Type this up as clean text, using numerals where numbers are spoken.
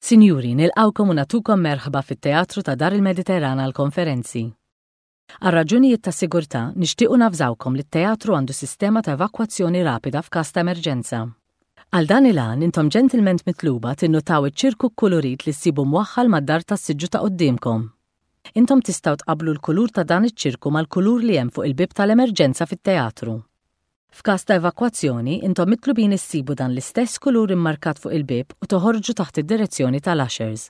Sinjuri, nilqgħukom u nagħtukom merħba fit-Teatru ta' Dar il-Mediterran għall-Konferenzi. Għal raġunijiet ta' sigurtà, nixtiequ navżawkom li t-teatru għandu sistema ta' evakwazzjoni rapida f'każ ta' emerġenza. Għal dan il-għan, intom ġentilment mitluba tinnutaw iċ-ċirku kkulurit li ssibu mwaħħal mad-dar tas-siġġu ta' quddiemkom. Intom tistgħu tqabblu l-kulur ta' dan iċ-ċirku mal-kulur li hemm fuq il-bieb tal-emerġenza fit-teatru. F'każ ta' evakwazzjoni, intom mitlubin issibu dan l-istess kulur immarkat fuq il-bieb u toħorġu taħt id-direzzjoni tal-ushers.